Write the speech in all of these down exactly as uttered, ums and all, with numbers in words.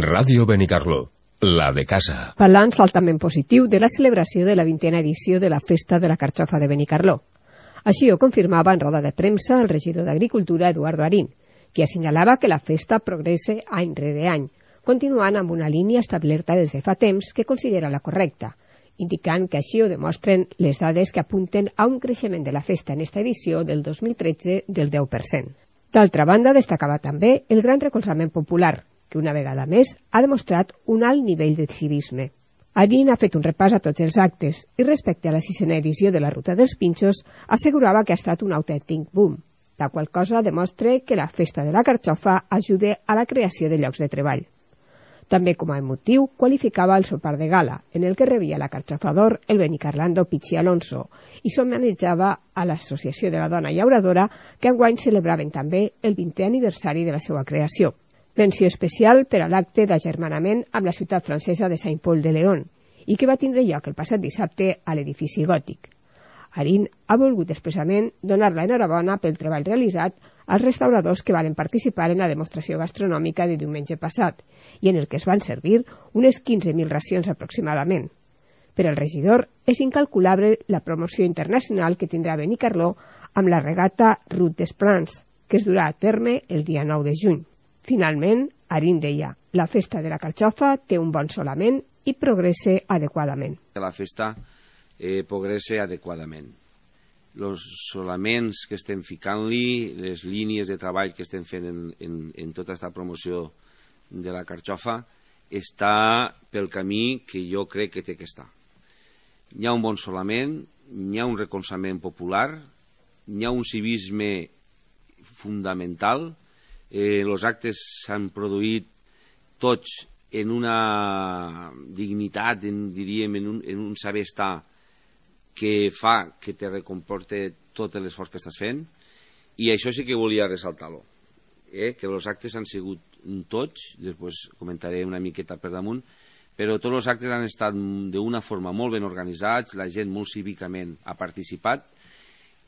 Ràdio Benicarló, la de casa. Balanç altament positiu de la celebració de la vintena edició de la Festa de la Carxofa de Benicarló. Així ho confirmava en roda de premsa el regidor d'Agricultura, Eduardo Arín, que assenyalava que la festa progressa any rere any, continuant amb una línia establerta des de fa temps que considera la correcta, indicant que així ho demostren les dades que apunten a un creixement de la festa en esta edició del dos mil tretze del deu per cent. D'altra banda, destacava també el gran recolzament popular, que una vegada més ha demostrat un alt nivell de civisme. Arín ha fet un repàs a tots els actes i respecte a la sisena edició de la Ruta dels Pinxos assegurava que ha estat un autèntic boom, la qual cosa demostra que la Festa de la Carxofa ajuda a la creació de llocs de treball. També com a emotiu qualificava el sopar de gala, en el que rebia la Carxofa d'Or el benicarlando Pichi Alonso i s'homenatjava a l'Associació de la Dona Llauradora, que enguany celebraven també el vintè aniversari de la seva creació. Menció especial per a l'acte d'agermanament amb la ciutat francesa de Saint-Paul-de-Léon i que va tindre lloc el passat dissabte a l'edifici gòtic. Arín ha volgut expressament donar la enhorabona pel treball realitzat als restauradors que van participar en la demostració gastronòmica de diumenge passat i en el que es van servir unes quinze mil racions aproximadament. Per al regidor és incalculable la promoció internacional que tindrà Benicarló amb la regata Route des Prats, que es durà a terme el dia nou de juny. Finalment, Arín deia, la festa de la Carxofa té un bon solament i progressa adequadament. La festa eh, progressa adequadament. Els solaments que estem ficant-li, les línies de treball que estem fent en, en, en tota aquesta promoció de la Carxofa, està pel camí que jo crec que té que estar. Hi ha un bon solament, hi ha un recolzament popular, hi ha un civisme fundamental. Eh, els actes s'han produït tots en una dignitat, en, diríem, en un, en un saber estar que fa que te recomporte tot l'esforç que estàs fent, i això sí que volia ressaltar-lo, eh? Que els actes han sigut tots, després comentaré una miqueta per damunt, però tots els actes han estat d'una forma molt ben organitzats, la gent molt cívicament ha participat.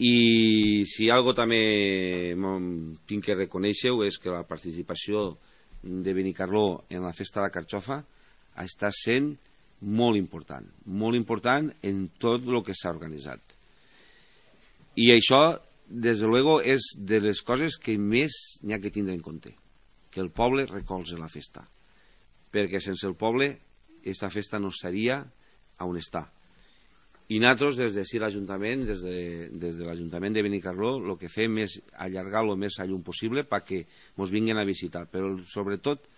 I si algo també tinc que reconèixer és que la participació de Benicarló en la Festa de la Carxofa està sent molt important, molt important en tot el que s'ha organitzat. I això, des de luego, és de les coses que més n'hi ha que tindre en compte, que el poble recolza la festa, perquè sense el poble aquesta festa no seria on està. I nosaltres, des de sí l'Ajuntament, des de, des de l'Ajuntament de Benicarló, el que fem és allargar el més a llum possible perquè ens vinguin a visitar. Però, sobretot,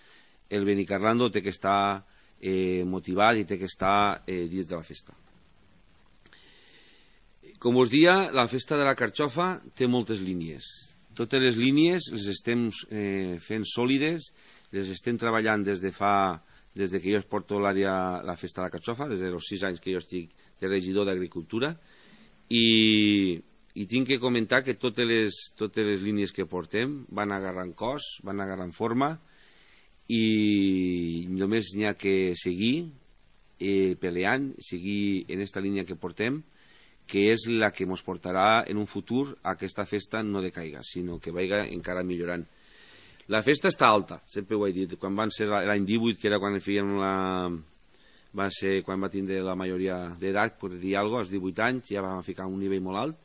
el benicarlando té que estar eh, motivat i té que estar eh, dins de la festa. Com us dia, la Festa de la Carxofa té moltes línies. Totes les línies les estem eh, fent sòlides, les estem treballant des de fa... des de que jo porto l'àrea la Festa de la Carxofa, des dels sis anys que jo estic de regidor d'Agricultura, i, i tinc que comentar que totes les, totes les línies que portem van agarrant cos, van agarrant forma, i només n'hi ha que seguir eh, peleant, seguir en aquesta línia que portem, que és la que ens portarà en un futur a que aquesta festa no decaiga, sinó que vagi encara millorant. La festa està alta, sempre ho he dit. Quan van ser l'any divuit, que era quan fèiem la... va ser quan va tindre la majoria d'edat, per dir alguna cosa, als divuit anys, ja vam ficar un nivell molt alt,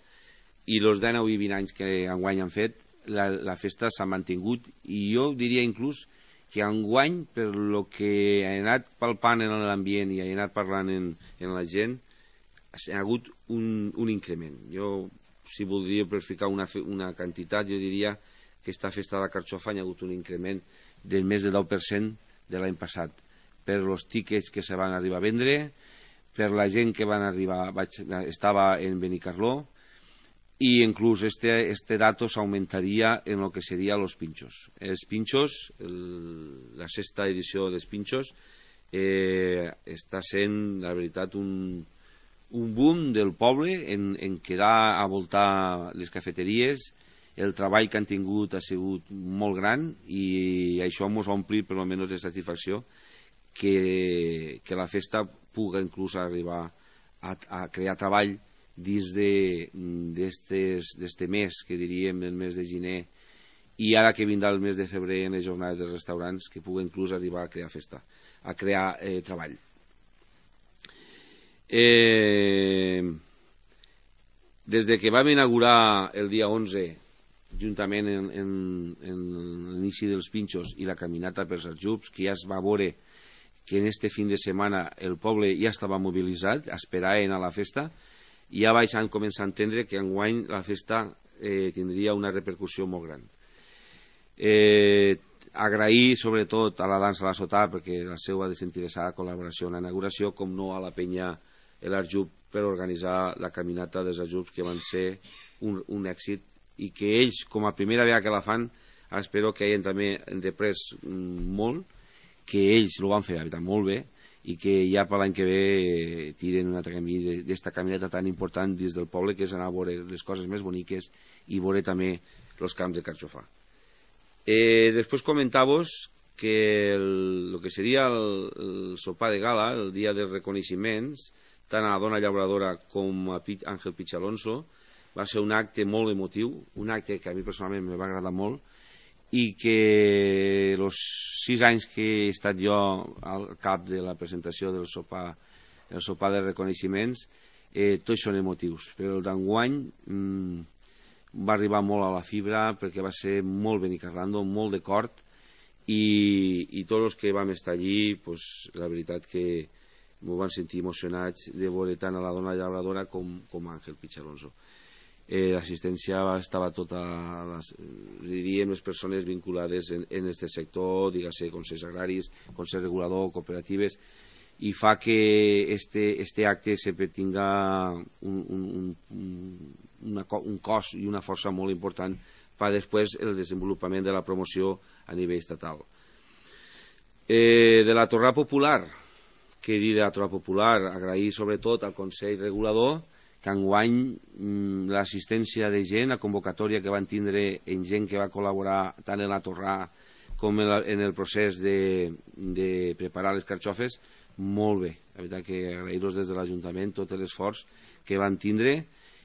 i els dinou i vint anys que enguany han fet, la, la festa s'ha mantingut, i jo diria inclús que enguany, per lo que ha anat palpant en l'ambient i ha anat parlant en, en la gent, ha hagut un, un increment. Jo, si voldria per ficar una, una quantitat, jo diria que aquesta festa de la Carxofa hi ha hagut un increment del més del deu per cent de l'any passat, per els tiquets que se van arribar a vendre, per la gent que van arribar, vaig, estava en Benicarló, i inclús este, este dato s'augmentaria en el que seria els pinxos. Els pinxos, el, la sexta edició dels pinxos, eh, està sent, la veritat, un, un boom del poble en, en quedar a voltar les cafeteries. El treball que han tingut ha sigut molt gran i això ens ompli per almenys de satisfacció que, que la festa pugui inclús arribar a, a crear treball dins d'este mes, que diríem el mes de gener i ara que vindrà el mes de febrer en les jornades dels restaurants, que pugui inclús arribar a crear festa, a crear eh, treball. Eh, des de que vam inaugurar el dia onze, juntament en, en, en l'inici dels pinxos i la caminata pels aljubs, que ja es va veure que en este fin de setmana el poble ja estava mobilitzat, esperaven a la festa, i ja vaig començar a entendre que enguany la festa eh, tindria una repercussió molt gran. Eh, agrair sobretot a la dansa a la sotà perquè la seva desinteressada col·laboració en la inauguració, com no a la penya l'Arjub per organitzar la caminata dels aljubs, que van ser un, un èxit, i que ells, com a primera vegada que la fan, espero que hagin també deprès molt, que ells ho van fer molt bé i que ja per l'any que ve eh, tiren un altre camí d'esta caminata tan important dins del poble, que és anar a veure les coses més boniques i veure també els camps de carxofà. Eh, després comentar-vos que el, el que seria el, el sopar de gala, el dia dels reconeixements, tant a la dona llauradora com a Àngel Pichalonso, va ser un acte molt emotiu, un acte que a mi personalment me va agradar molt, i que els sis anys que he estat jo al cap de la presentació del sopar, el sopar de reconeixements, eh, tots són emotius, però el d'enguany mmm, va arribar molt a la fibra perquè va ser molt benicarlando, molt de cort, i, i tots els que vam estar allí, pues, la veritat que m'ho van sentir emocionats de veure tant a la dona llauradora com, com a Àngel Pichalonso. Eh, l'assistència estava tota, les, diríem, les persones vinculades en, en este sector, diguem-ne, consells agraris, consell regulador, cooperatives, i fa que este, este acte sempre tinga un, un, un, una, un cos i una força molt important per després el desenvolupament de la promoció a nivell estatal. Eh, de la torrada popular, que dir de la torrada popular, agrair sobretot al Consell Regulador, que enguany mm, l'assistència de gent, la convocatòria que van tindre en gent que va col·laborar tant en la torrada com en, la, en el procés de, de preparar les carxofes, molt bé. La veritat que agrair-los des de l'Ajuntament tot l'esforç que van tindre.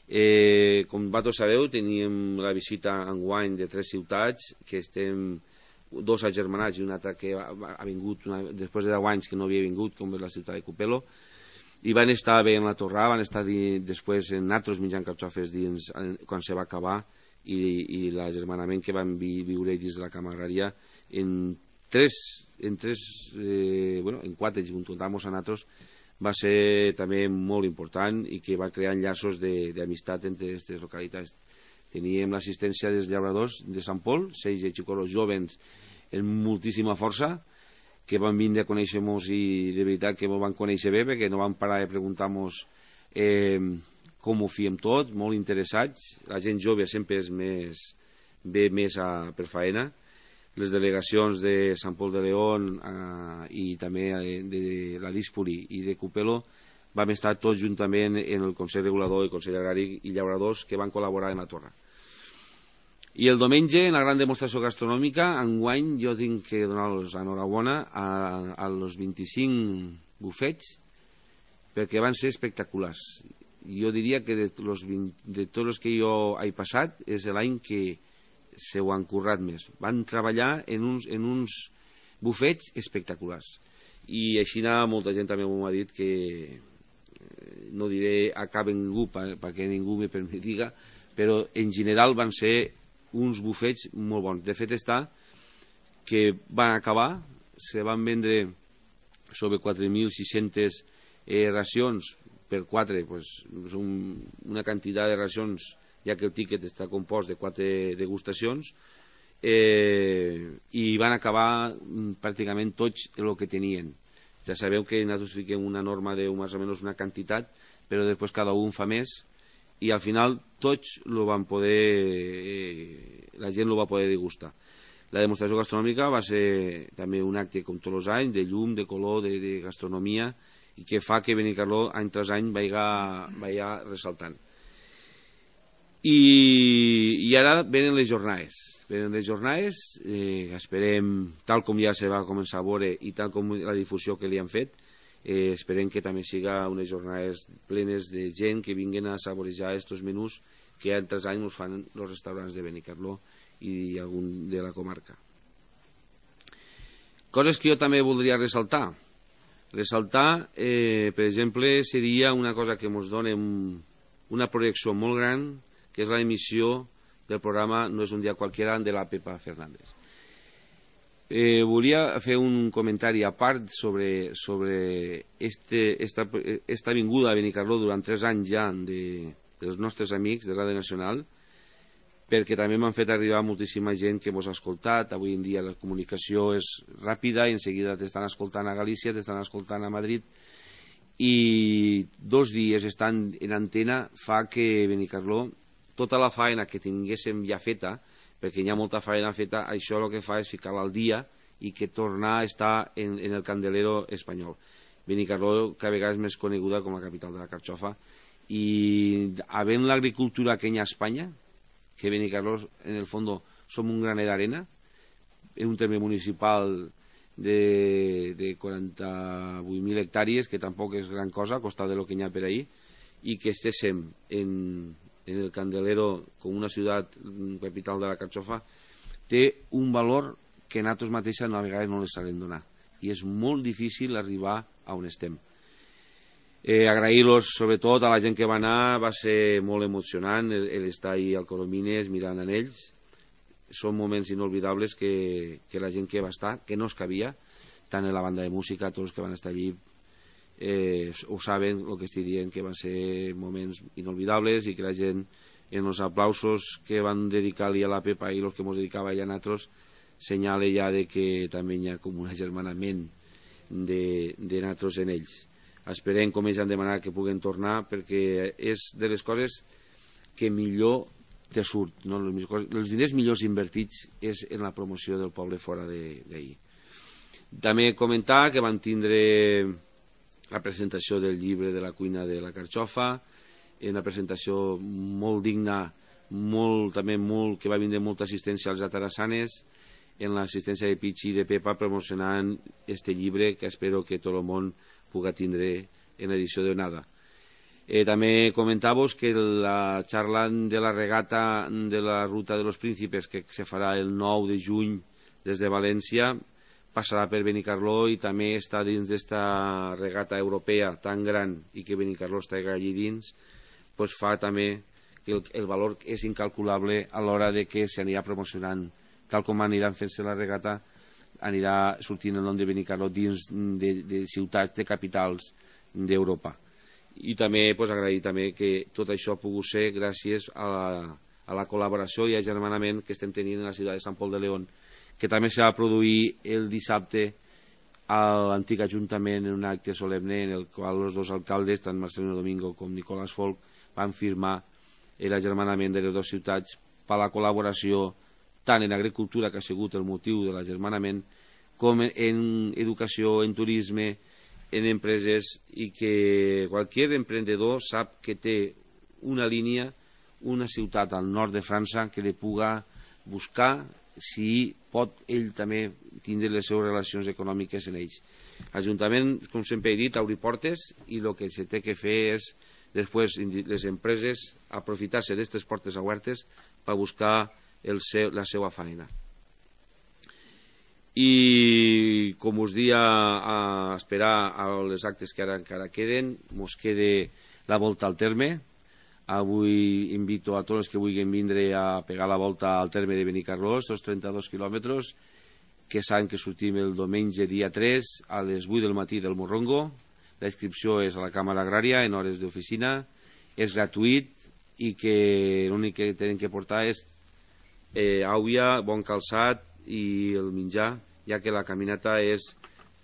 Eh, com vosaltres sabeu, teníem la visita enguany de tres ciutats, que estem dos agermanats i un altre que ha, ha vingut una, després de deu anys que no havia vingut, com és la ciutat de Cupelo, i van estar bé en la torrada, van estar di, després en altres menjant carxofes dins, quan se va acabar, i, i l'agermanament que van vi, viure dins de la Cama Agrària en tres, en tres eh, bueno, en quatre, si comptamos a nosaltres, va ser també molt important i que va crear enllaços d'amistat entre aquestes localitats. Teníem l'assistència dels llauradors de Sant Pol, seis xicoros jovens amb moltíssima força, que van vindre a conèixer-nos i de veritat que ens van conèixer bé, perquè no van parar de preguntar-nos eh, com ho fiem tot, molt interessats. La gent jove sempre és més, ve més a, per faena. Les delegacions de Sant Pol de León eh, i també de, de la Díspoli i de Cupelo vam estar tots juntament en el Consell Regulador, el Consell Agrari i Llauradors que van col·laborar en la torre. I el diumenge, en la gran demostració gastronòmica, enguany jo tinc que donar-los enhorabona a, a los vint-i-cinc bufets perquè van ser espectaculars. Jo diria que de, los vint, de tots els que jo he passat és l'any que se ho han currat més. Van treballar en uns, en uns bufets espectaculars. I així molta gent també m'ha dit que no diré a cap ningú perquè ningú me permetiga, però en general van ser uns bufets molt bons. De fet està que van acabar, se van vendre sobre quatre mil sis-centes eh, racions per quatre, pues, un, una quantitat de racions, ja que el tíquet està compost de quatre degustacions, eh, i van acabar pràcticament tots el que tenien. Ja sabeu que nosaltres fiquem una norma de més o menys una quantitat, però després cada un fa més, i al final tots lo van poder, eh, la gent lo va poder degustar. La demostració gastronòmica va ser també un acte com tots els anys, de llum, de color, de, de gastronomia, i que fa que Benicarló any tras any vaiga, vaiga ressaltant. I, i ara venen les jornades. Venen les jornades, eh, esperem, tal com ja se va començar a veure i tal com la difusió que li han fet, eh, esperem que també siga unes jornades plenes de gent que vinguin a saborejar estos menús que altres anys ens fan els restaurants de Benicarló i algun de la comarca. Coses que jo també voldria ressaltar. Ressaltar, eh, per exemple, seria una cosa que ens dona un, una projecció molt gran, que és l'emissió del programa No és un dia qualquiera de la Pepa Fernández. Eh, volia fer un comentari a part sobre, sobre este, esta, esta vinguda a Benicarló durant tres anys ja de, dels nostres amics de Ràdio Nacional, perquè també m'han fet arribar moltíssima gent que mos ha escoltat. Avui en dia la comunicació és ràpida i en seguida t'estan escoltant a Galícia, t'estan escoltant a Madrid, i dos dies estant en antena fa que Benicarló, tota la faena que tinguéssim ja feta, perquè hi ha molta feina feta, això el que fa és ficar-la al dia i que tornar a estar en, en el candelero espanyol. Benicarló cada vegada és més coneguda com la capital de la carxofa, i havent l'agricultura que hi ha a Espanya, que Benicarló en el fons som un graner d'arena, en un terme municipal de, de quaranta-vuit mil hectàrees, que tampoc és gran cosa, a costat de lo que hi ha per ahí, i que estéssim en en el Candelero com una ciutat capital de la carxofa, té un valor que nosaltres mateixes a vegades no les sabem donar, i és molt difícil arribar a on estem. Eh, agrair-los sobretot a la gent que va anar, va ser molt emocionant l'estar ahí al Coromines mirant en ells. Són moments inolvidables que, que la gent que va estar, que no es cabia, tant en la banda de música, tots que van estar allí Eh, ho saben el que estic dient, que van ser moments inolvidables, i que la gent en els aplausos que van dedicar-li a la Pepa i els que ens dedicava a nosaltres senyala ja de que també hi ha com un agermanament de, de nosaltres en ells. Esperem, com ells han demanat, que puguen tornar, perquè és de les coses que millor te surt, no? Els diners millors invertits és en la promoció del poble fora d'ahir. També comentar que van tindre la presentació del llibre de la cuina de la carxofa, una presentació molt digna, molt, també molt, que va vindre molta assistència als atarassanes, en l'assistència de Pichi i de Pepa promocionant este llibre, que espero que tot el món puga tindre en l'edició de Onada. Eh, també comentar-vos que la xarxa de la regata de la Ruta de los Príncipes, que se farà el nou de juny des de València, passarà per Benicarló, i també està dins d'esta regata europea tan gran i que Benicarló està allí dins, pues fa també que el, el valor és incalculable a l'hora de que s'anirà promocionant, tal com aniran fent-se la regata, anirà sortint el nom de Benicarló dins de, de ciutats, de capitals d'Europa. I també pues, agrair també que tot això ha pogut ser gràcies a la, a la col·laboració i agermanament que estem tenint en la ciutat de Sant Pol de León, que també se va produir el dissabte a l'antic Ajuntament en un acte solemne en el qual els dos alcaldes, tant Marcelino Domingo com Nicolás Folk, van firmar l'agermanament de les dues ciutats per la col·laboració tant en agricultura, que ha sigut el motiu de l'agermanament, com en educació, en turisme, en empreses, i que qualsevol emprendedor sap que té una línia, una ciutat al nord de França que li puga buscar si pot ell també tindre les seves relacions econòmiques en ells. L'Ajuntament, com sempre he dit, obri portes, i el que se té que fer és després les empreses aprofitar-se d'aquestes portes obertes per buscar el seu, la seva feina. I com us dia a esperar a les actes que ara encara queden, mos quede la volta al terme. Avui invito a tots els que vulguin vindre a pegar la volta al terme de Benicarló, estos trenta-dos quilòmetres, que saben que sortim el diumenge dia tres a les vuit del matí del Morrongo. La inscripció és a la Càmera Agrària en hores d'oficina, és gratuït, i que l'únic que tenen que portar és eh, aigua, bon calçat i el menjar, ja que la caminata és,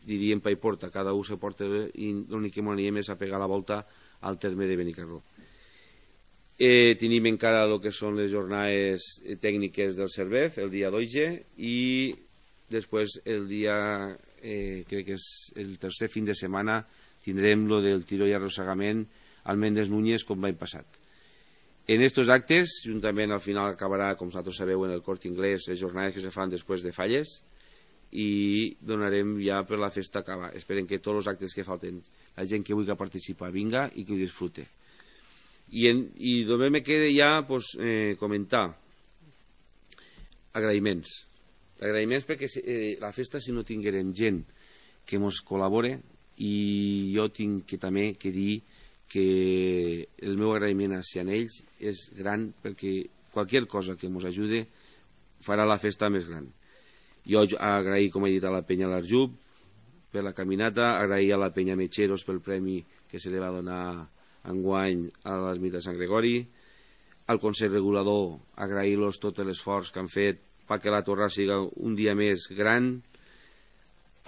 diríem, pa i porta, cada un se porta, i l'únic que m'aniem és a pegar la volta al terme de Benicarló. Eh, tenim encara el que són les jornades tècniques del Cervef, el dia dotze, i després el dia, eh, crec que és el tercer fin de setmana, tindrem lo del tiró i arrossegament al Méndez Núñez com l'any passat. En estos actes, juntament al final acabarà, com vosaltres sabeu, en el Corte Inglés, les jornades que se fan després de Falles, i donarem ja per la festa acabar. Esperem que tots els actes que falten, la gent que vulgui participar vinga i que ho disfrute. I, en, i només me queda ja pues, eh, comentar. agraïments. Agraïments perquè eh, la festa, si no tinguérem gent que ens col·labore, i jo tinc que també que dir que el meu agraïment hacia ells és gran, perquè qualsevol cosa que ens ajude farà la festa més gran. Jo agraïm, com he dit, a la penya l'Arjub per la caminata, agraïm a la penya Metxeros pel premi que se li va donar enguany a l'ermita de Sant Gregori, al Consell Regulador agrair-los tot l'esforç que han fet perquè la torrada sigui un dia més gran,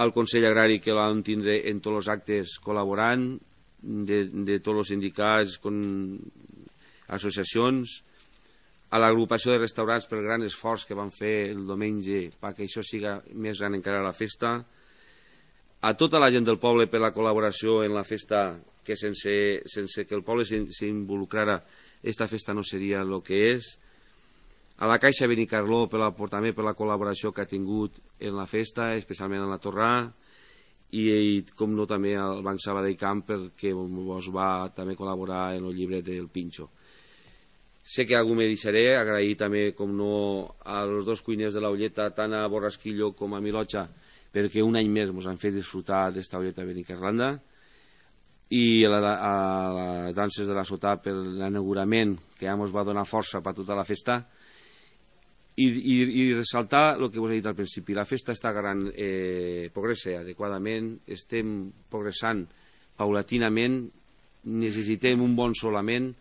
al Consell Agrari que l'han tindre en tots els actes col·laborant, de, de tots els sindicats, con associacions, a l'agrupació de restaurants pel gran esforç que van fer el diumenge perquè això siga més gran encara la festa, a tota la gent del poble per la col·laboració en la festa, que sense, sense que el poble s'involucrara, esta festa no seria el que és, a la Caixa Benicarló per la, també per la col·laboració que ha tingut en la festa, especialment en la torrà, i, i com no també al Banc Sabadell Camp perquè vos va també col·laborar en el llibre del Pinxo. Sé que algú me deixaré, agrair també, com no, a los dos cuiners de la Olleta, tant a Borrasquillo com a Milotxa, perquè un any més ens han fet disfrutar d'esta Olleta Benicarlanda, i a, la, a les danses de la Sotà per l'inaugurament, que ja ens va donar força per tota la festa, i, i, i ressaltar el que us he dit al principi. La festa està agarrant, eh, progressa adequadament, estem progressant paulatinament, necessitem un bon solament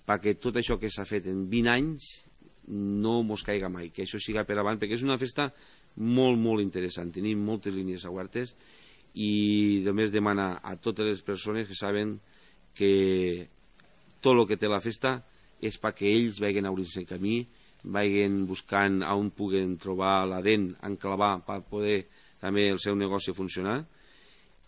perquè tot això que s'ha fet en vint anys no mos caiga mai, que això siga per avant, perquè és una festa molt, molt interessant. Tenim moltes línies obertes i només demana a totes les persones que saben que tot el que té la festa és perquè ells vagin obrint-se el camí, vagin buscant on puguen trobar la dent, enclavar per poder també el seu negoci funcionar,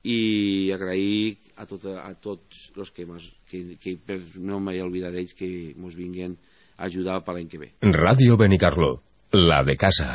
i agrair a, tot, a tots els que, que, que per no m'he oblidat d'ells, que ens vinguin a ajudar per l'any que ve. Ràdio Benicarló, la de casa.